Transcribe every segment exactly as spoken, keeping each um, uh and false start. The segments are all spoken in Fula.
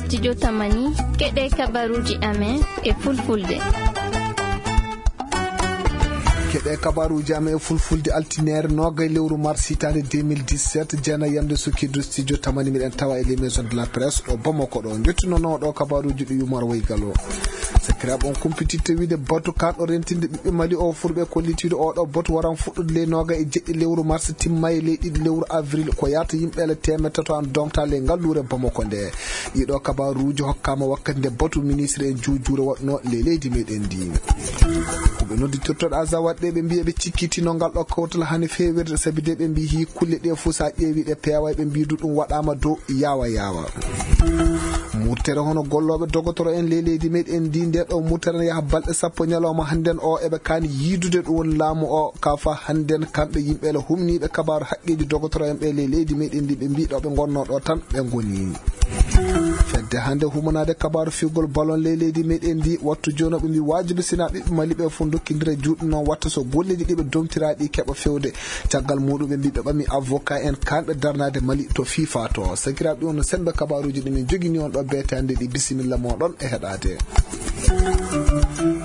Studio Tamani, keɗe kabaruuji amen e fulfulde. Keɗe kabaruuji amen e fulfulde, altineere noogay lewru mars hitaande deux mille dix-sept, jeena yamde sukkidu studio Tamani, miɗen tawa e les maisons de la presse ɗo Bamako ɗo. Njettunono ɗo kabaruuji ɗi yumar waygal o. Sakiraaɓe, on kumpititte wiide batu kanɗo rentinde ɓiɓɓe Mali o, furɓe kollitiiɗo oɗo batu waran fuɗɗude ley nooga e jeɗɗi lewru mars, timma e ley ɗiɗi lewru avril. Ko yaata yimɓe ele teemeɗɗe tato an domta ley ngalluure Bamako nde. Ɗiɗo kabaruuji hokkaama wakkati nde batu ministre en juujuure waɗno ley leydi meɗen ndi. Ko ɓe nodditirtoɗo Azawad ɗe ɓe mbiya ɓe cikkitino ngal ɗo kawtal hani feewirde, sabi de ɓe mbi hi kulle ɗe fuu sa ƴeewi ɗe peewa, ɓe mbi du ɗum waɗaama dow yaawa yaawa. Murtere hono gollooɓe dogotoro en ley leydi meɗen ndi, nde ɗo murtere ne yaha balɗe sappo ñalawma hannden o, eɓe kaani yiidude ɗum woni laamu o. Ka fa hannden kamɓe yimɓe ele humniiɓe kabaaru haqqeeji dogotoro en ɓe ley leydi meɗen ndi, ɓe mbi ɗo ɓe ngonno ɗo tan ɓe ngoni. Fedde hannde humanaade kabaaru fiyugol ballon ley leydi meɗen ndi, wattu jooni o ɓe mbi waajibi sina ɓiɓɓe Mali ɓe fof ndokkindira juuɗe, noon watta so golleeji ɗi ɓe domtira ɗi keɓa fewde. Caggal muɗum ɓe mbi ɓe ɓami avocat en kanɓe darnaade Mali to fifa to. Sakiraaɓe, on no sembe kabaaruuji ɗi min jogini on ɗo beetaande ɗi. Bisimilla moɗon e heɗaade.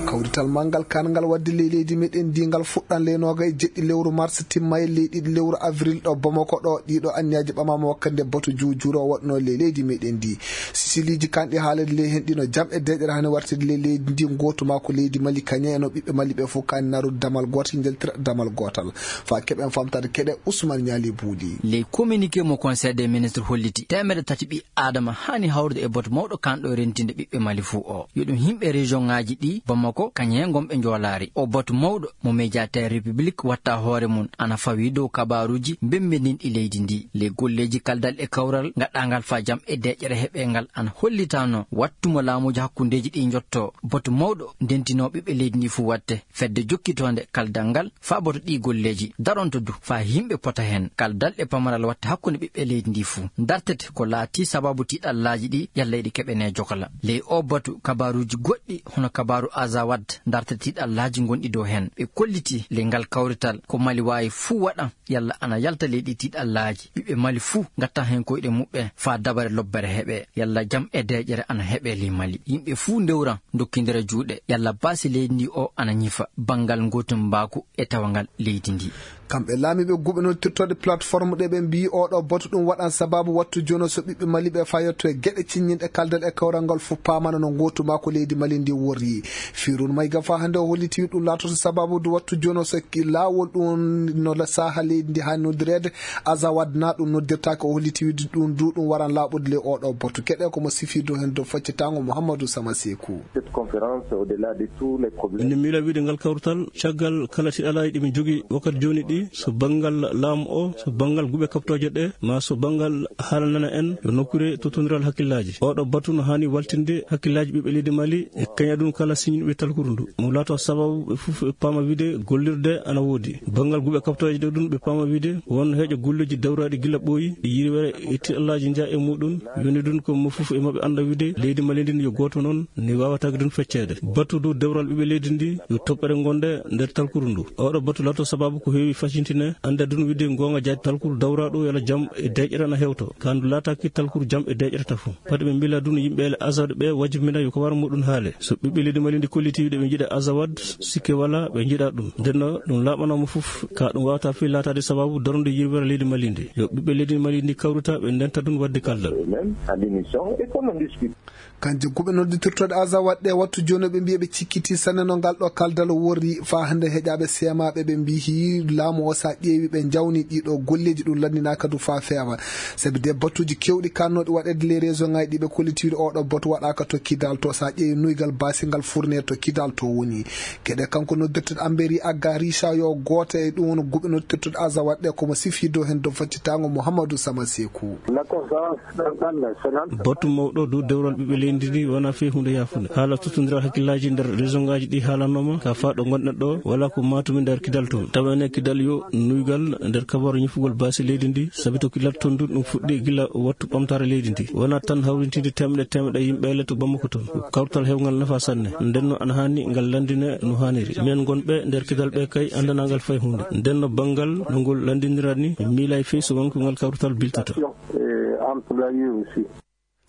Kawrital manngal kangal wadde ley leydi meɗen ndi ngal fuɗɗan ley nooga e jeɗɗi lewru mars, timma e ley ɗiɗi lewru avril ɗo Bamako ɗo. Ɗiɗo anniyaaji ɓamaama wakkati nde batu juujuuro waɗno ley leydi meɗen ndi. Sisiliiji kanɗi haalade ley hen ɗino jam e deƴere hane wartide ley leydi ndi, gootu ma ko leydi Mali kañe no ɓiɓɓe Mali ɓe fof kani narude damal gootal, njaltira damal gootal. Fa keɓen famtade keɗe Ousmane Niali Bouli. Ley communiqué mo Conseil des ministres holliti, teemeɗe tati ɓi Adama hani hawrude e batu mawɗo kanɗo rentinde ɓiɓɓe Mali fuu o. Yo ɗum yimɓe région ŋaaji ɗi, Bamako, kañe gonɓe njoolaari. O batu mawɗo mo médiateur république watta hoore mum ana fawi dow kabaaruuji mbemmbendinɗi leydi ndi. Ley golleeji kaldal e kawral ngaɗangal fa jam e deƴere heɓengal ana hollitano wattu mo laamuuji hakkundeeji ɗi njotto. Batu mawɗo ndentinoo ɓiɓɓe leydi ndi fuu watte fedde jokkitoonde kaldal ngal fa batu ɗi golleeji daronto du fa yimɓe pota heen. Kaldal e pamaral watte hakkunde ɓiɓɓe leydi ndi fuu dartete ko laati sababu tiiɗallaaji ɗi yalla eɗi keɓene jokala. Ley o batu kabaaruuji goɗɗi hono kabaaru Azawad dartete tiiɗallaaji gonɗi dow heen. Ɓe kolliti ley ngal kawrital ko Mali waawi fuu waɗan yalla ana yalta ley ɗi tiiɗallaaji. Ɓiɓɓe Mali fuu ngatta heen koyɗe muɓɓen faa dabare lobbere heɓe yalla jam e deeƴere ana heɓe ley Mali. Yimɓe fuu ndewran ndokkindira juuɗe yalla baasi leydi ndi o ana ñifa banngal ngootumbaaku e tawangal leydi ndi. Kamɓe laamiiɓe guɓe noddirtooɗe plateforme ɗe ɓe mbiyi oɗo batu ɗum waɗan sababu wattu jono so ɓiɓɓe Mali ɓe fayotto e geɗe ciññinɗe kaldal e kawral ngal fof paamana no ngootumbaaku leydi Mali ndi worri. Firun Mayga fa hannde o holliti ɗum laatoto sababu du wattu jono so ki laawol ɗum no la saaha leydi ndi haa noddireede Azawad na ɗum noddirtaake. O holliti wiide ɗum du ɗum waran laaɓude ley oɗo batu. Keɗe ko mo sifi dow heen dow faccitango Mouhamadou Sama Seku. Cette conférence, au-delà de tous les problèmes. Ene miila wiide ngal kawrital caggal kala tiɗalaaji ɗi min jogii wakkati jooni ɗi, so banngal laamu o, so banngal guɓe kaɓtooje ɗe, ma so banngal haalanana en yo nokkuure tottondiral hakkillaaji. Oɗo batu no haani waltinde hakkillaaji ɓiɓɓe leydi Mali e kaña ɗum kala siñinɓe talkuru ndu. Mo laato sababu ɓe fof ɓe paama wiide gollirde ana woodi. Banngal guɓe kaɓtooje ɗe ɗum ɓe paama wiide won heeƴa golleeji dawraaɗi gila ɓooyi, ɗi yirwere e tiɗallaaji nja e muɗum. Yoni ɗum ko mo fof e maɓɓe annda wiide leydi Mali ndin yo gooto noon, ni waawataake ɗum fecceede. Batu dow dewral ɓiɓɓe leydi ndi yo toɓɓere gonde nder talkuru ndu. Oɗo batu laato sababu ko heewi facintine, annda ɗum wiide ngoonga jaaj talkuru dawraaɗo yala jam e deeƴere ana hewto. Ka ndu laataaki talkuru jam e deeƴere tafo. Pati ɓe mbila ɗum yimɓe ele Azawad ɓe wajibina yo ko war muɗum haale. So ɓiɓɓe leydi Mali ndi kolliti wiide ɓe njiɗa Azawad, sikke wala ɓe njiɗa ɗum. Ndenno ɗum laaɓanoo mo fof, ka ɗum waawata fii laataade sababu darnude yirwere leydi Mali ndi. Yo ɓiɓɓe leydi Mali ndi kawrita ɓe ndenta ɗum waɗde kaldal. Même à l'émission et qu'on en discute. Kanje guɓe nodditirtoɗe Azawad ɗe wattu jooni ɓe mbiya ɓe cikkiti sanne no ngal ɗo kaldal worri fa hannde heƴaaɓe seemaaɓe ɓe mbi hi laamu o sa ƴeewi ɓe njawni ɗiɗo golleeji ɗum lanndinaaka du fa feewa. Sabi de batuuji keewɗi kannooɗi waɗeede ley réseau ŋaaji ɗi ɓe kollitiiɗo oɗo batu waɗaaka to Kidal to, so a ƴeewi nuygal baasi ngal furnee to Kidal to woni. Keɗe kanko noddirteɗo Amberi Agga Risa yo gooto e ɗum woni guɓe noddirteɗo Azawad ɗe komo sifi dow heen dow faccitaango Mouhamadou Sama Seku. La conférence dans la cinquante. Batu mawɗo dow dewral ɓiɓɓe leydi ndi wona fii huunde yaafunde. Haala tottondiral hakkillaaji nder réseau ŋaaji ɗi haalannooma ka faa ɗo ngonɗen ɗo wala ko maatumi nder Kidal toon. Tawa ene Kidal yo nuygal nder kabaaru ñifugol baasi leydi ndi, sabi to Kidal toon du ɗum fuɗɗi gila wattu ɓamtaare leydi ndi. Wonaa tan hawrintinde teemɗe teemɗe yimɓe ele to Bamako toon. Ko kawtal heewgal nafa sanne. Ndenno ana haani ngal lanndine no haaniri. Men gonɓe nder Kidal ɓe kay anndanaa ngal fay huunde. Ndenno banngal no ngol lanndinira ni, mi miilay fey so won ko ngal kawtal biltata. Et employé aussi.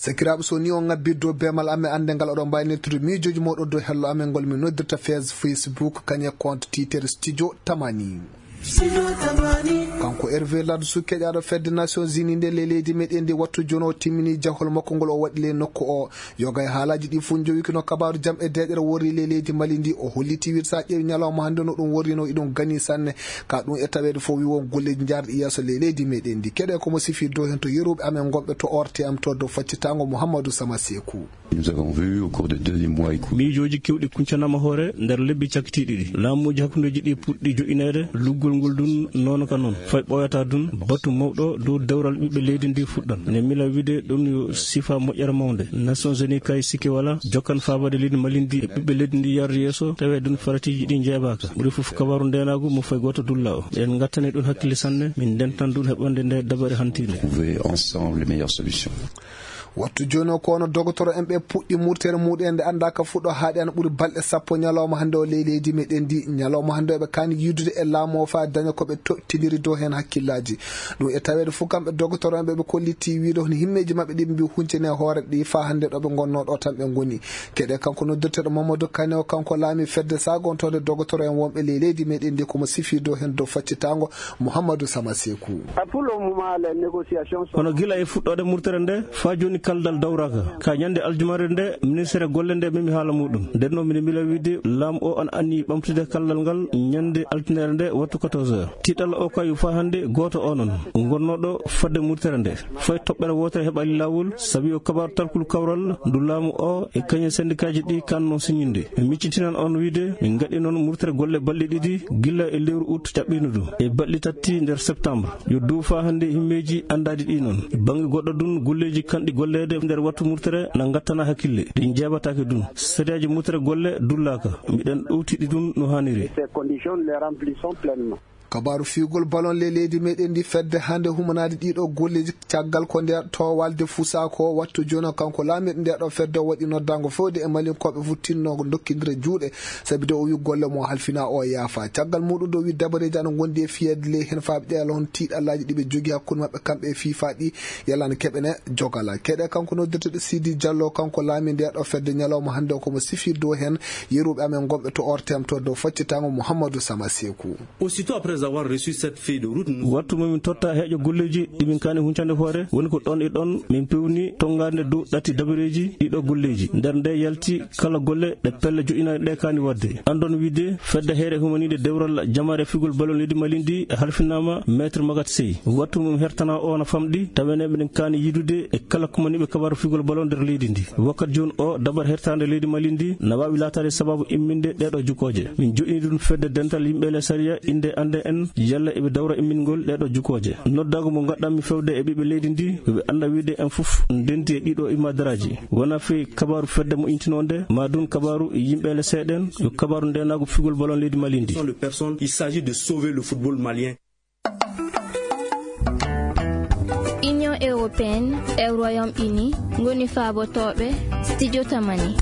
Sakiraaɓe, so ni on ŋabbirde dow beemal amen, annde ngal oɗon mbaawi nettude miijooji mooɗon dow hello amen ngol min noddirta Face-, Facebook, kañum e compte Twitter Studio Tamani. Kanko Hervé Ladsu, keƴaaɗo fedde Nations Unies nde ley leydi meɗen ndi, wattu jooni o timmini jahol makko ngol o waɗi ley nokku o. Yoga e haalaaji ɗi fof njowikino kabaaru jam e deeƴere worri ley leydi Mali ndi. O holliti wiide so a ƴeewi ñalawma hannde no ɗum worrino, iɗum gani sanne. Ka ɗum e taweede fof wi won golleeji njaarɗi yeeso ley leydi meɗen ndi. Keɗe ko mo sifi dow heen to yeruɓe amen gonɓe to O R T M to dow faccitango Mouhamadou Sama Sekou. Nous avons vu au cours des deux mois écoulés. Miijooji kewɗi kuncanaama hoore nder lebbi cakkitiiɗi ɗi. Laamuuji hakkundeeji ɗi puɗɗi jo'ineede, luggol ngol dun noon ka noon. Fay ɓooyata dun, batu mawɗo dow dewral ɓiɓɓe leydi ndi fuɗɗan. Ne mila wiide ɗum yo sifa moƴƴere mawnde. Nations Unies kay sikke wala, jokkan faabaade leydi Mali ndi e ɓiɓɓe leydi ndi yarde yeeso, tawe dun faratiiji ɗi njeebaaka. Ɓuri fof kabaru ndeenaagu mo fay gooto dulla o. En ngattani ɗum hakkille sanne, min ndentan ɗum heɓande nde dabare hantiinde. Trouver ensemble les meilleures solutions. Wattu jooni o ko ono dogotoro en ɓe puɗɗi murtere muɗum en nde annda ka fuɗɗo haaɗi ana ɓuri balɗe sappo ñalawma hannde o ley leydi meɗen ndi. Ñalawma hannde o ɓe kaani yiidude e laamu o faa daña ko ɓe toɗtindiri dow heen hakkillaaji. Ɗum e taweede fof kamɓe dogotoro en ɓe ɓe kolliti wiide hono himmeeji maɓɓe ɗi ɓe mbi huncani e hoore ɗi faa hannde ɗo ɓe ngonnoo ɗo tan ɓe ngoni. Keɗe kanko noddirteeɗo Mamadou Kane o, kanko laami fedde sagontoonde dogotoro en wonɓe ley leydi meɗen ndi, ko mo sifi dow heen dow faccitaango Mouhamadou Sama Sekou. Ah, pour le moment, les négociations sont Kono gila e fuɗɗoode murtere nde, faa jooni kaldal dawraaka. Ka ñande aljumare nde, ministere golle nde memi haala muɗum. Nden noon mine mila wiide laamu o ana anni ɓamtude kaldal ngal ñande altinere nde wattu quatorze heures. Tiiɗalla o kay faa hannde gooto o noon, ngonnooɗo fadde murtere nde. Fay toɓɓere wootere heɓaali laawol, sabi o kabaaru talkul kawral ndu laamu o e kañum sendikaaji ɗi kanno siñinde. Mi miccitinan on wiide, min ngaɗi noon murtere golle balɗe ɗiɗi, gilla e lewru août jaɓɓiino ɗum, e balɗe tati nder septembre. Yo duufa hannde himmeeji anndaadi ɗi noon. Bannge goɗɗo ɗum, golleeji kanɗi golleede nder wattu murtere na ngattana hakkille, ɗi njeebataake ɗum. Sariyaaji murtere golle dullaaka. Miɗen ɗowtiɗi ɗum no haaniri. Ces conditions, nous les remplissons pleinement. Kabaaru fiigol ballon ley leydi meɗen ndi, fedde hannde humanaade ɗiɗo golleeji caggal ko ndeya to walde Fusaako, wattu jooni o kanko laamirɗo nde ɗo fedde o waɗi noddaango fewde e Malinkooɓe fof tinno ko dokkindira juuɗe, sabi de o wi golle mo halfina o yaafa. Caggal muɗum ɗo wi dabareeji ana ngondi e fiyeede ley heen faa ɓe ƴeela hon tiiɗallaaji ɗi ɓe jogii hakkunde maɓɓe kamɓe e FIFA ɗi, yalla ana keɓene jogala. Keɗe kanko noddirteeɗo Sidi Diallo, kanko laami nde ɗo fedde ñalawma hannde o ko mo sifir dow heen yeruɓe amen gonɓe to O R T M to dow faccitaango Mouhamadou Sama Sekou. Aussitôt après avoir reçu cette feuille de route, nous Wattu mo min totta heeƴo golleeji ɗi min kaani huncande hoore, woni ko ɗon e ɗon min pewni tonngaande dow ɗati dabareeji ɗiɗo golleeji. Nder nde yalti kala golle ɗe pelle joƴinaaɗe ɗe kaani waɗde. Anndon wiide fedde heere humaniinde dewral jamaare figol ballon leydi Mali ndi halfinaama Maître Magat Sey. Wattu mum hertana o na famɗi, tawene miɗen kaani yiidude e kala kumaniiɓe kabaaru figol ballon nder leydi ndi. Wakkati jooni o, dabar hertaande leydi Mali ndi na waawi laataade sababu imminde ɗeeɗo jukooje. Min joƴini ɗum fedde dental yimɓe le sariya, innde annde en yalla eɓe dawra immingol ɗeeɗo jukooje. Noddaago mo ngaɗɗanmi fewde e ɓiɓɓe leydi ndi, yo ɓe annda wiide en fof ndenti e ɗiɗo immadaraaji. Wona fii kabaaru fedde mo intinoonde, ma ɗum kabaaru yimɓe le seeɗen, yo kabaaru ndeenaagu figol ballon leydi Mali ndi. Sont les personnes, il s'agit de sauver le football malien. Union européenne e Royaume Uni ngoni faabotooɓe Studio Tamani.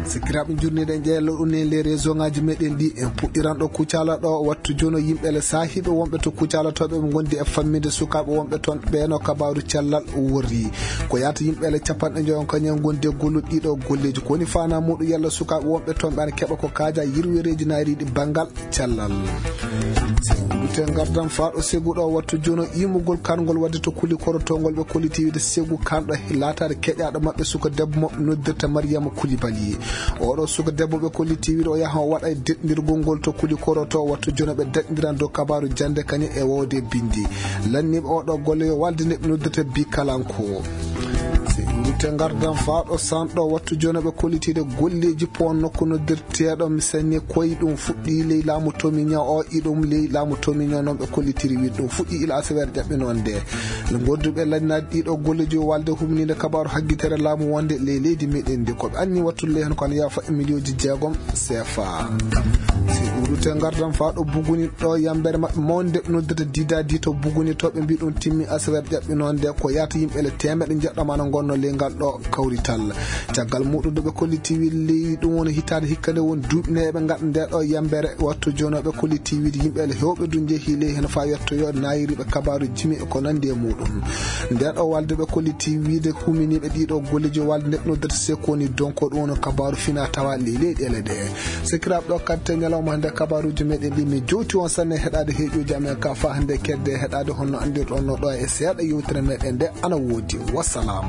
Sikiraaɓe, njurniiɗen ƴeelo ɗum e les réseau ngaji meɗen ɗi, en puɗɗiran ɗo Kucala ɗo. Wattu jooni o yimɓe le saahiiɓe wonɓe to Kucala to ɓe ngondi e famminde sukaaɓe wonɓe toon ɓe no kabaaru cellal worri. Ko yaata yimɓe le capanɗe njoyo on kañum ngondi e gollude ɗiɗo golleeji. Ko woni faana muɗum yalla sukaaɓe wonɓe toon ɓe ana keɓa ko kaaja yirwereeji naariiɗi banngal cellal. Segu te ngardam faaɗo segu ɗo wattu jooni o imugol karngol wadde to kuli korotongol ɓe kolliti wiide segu kanɗo laataade keƴaaɗo maɓɓe suka debbo maɓɓe noddirta Mariama Koulibaly. Oɗo suka debbo ɓe kolliti wiide o yaha o waɗa e deɗndirgol ngol to kuli koroto wattu jooni ɓe daɗndiran dow kabaaru jannde kañum e wowde bindi. Lanniiɓe oɗo golle yo walde nde ɓe noddirta Bikalanko. Segu te ngardam faaɗo sanɗo wattu jooni ɓe kollitiide golleeji pon nokku noddirta teeɗo mi sani koye ɗum fuɗɗi ley laamu Tomiño o, iɗum ley laamu Tomiño noon ɓe kollitiri wiide ɗum fuɗɗi ila asaweere jaɓɓinoonde. Nde gonduɓe lannaaɗe ɗiɗo golleeji o walde humniinde kabaaru haggitere laamu wonde ley leydi meɗen ndi ko ɓe anni wattude ley heen kono yaafa e miliyonji jeegom sefa. Si ɗuɗute ngardam faa ɗo buguni ɗo yambere maɓɓe mawnde noddata didadi to buguni to ɓe mbi ɗum timmi asaweere jaɓɓinoonde ko yaata yimɓe le teemeɗe njeɗɗo mana ngonno ley ngal Ɗo kawrital caggal muɗum ɗo ɓe kolliti wiide ley ɗum woni hitaade hikka nde woni duuɓi nayi eɓe ngaɗa nde ɗo yambere. Wattu jonooɓe kolliti wiide yimɓe ele hewɓe du njehi ley heno faa yettoyoo naayiriiɓe kabaaru jimi e ko nandi e muɗum. Nde ɗo walde ɓe kolliti wiide huminiiɓe ɗiɗo golleji walde nde noddata se ko woni donko ɗum woni kabaaru fina tawa ley leyɗeele ɗe. Sekiraaɓe ɗo kadi te ñalawma hannde kabaaruuji meɗen ɗi mi jowti on sanne heɗaade heeƴuuji amen ka faa hannde kedde heɗaade honno anndirɗon no ɗo e seeɗa yewtere meɗen nde ana woodi. Wassalam.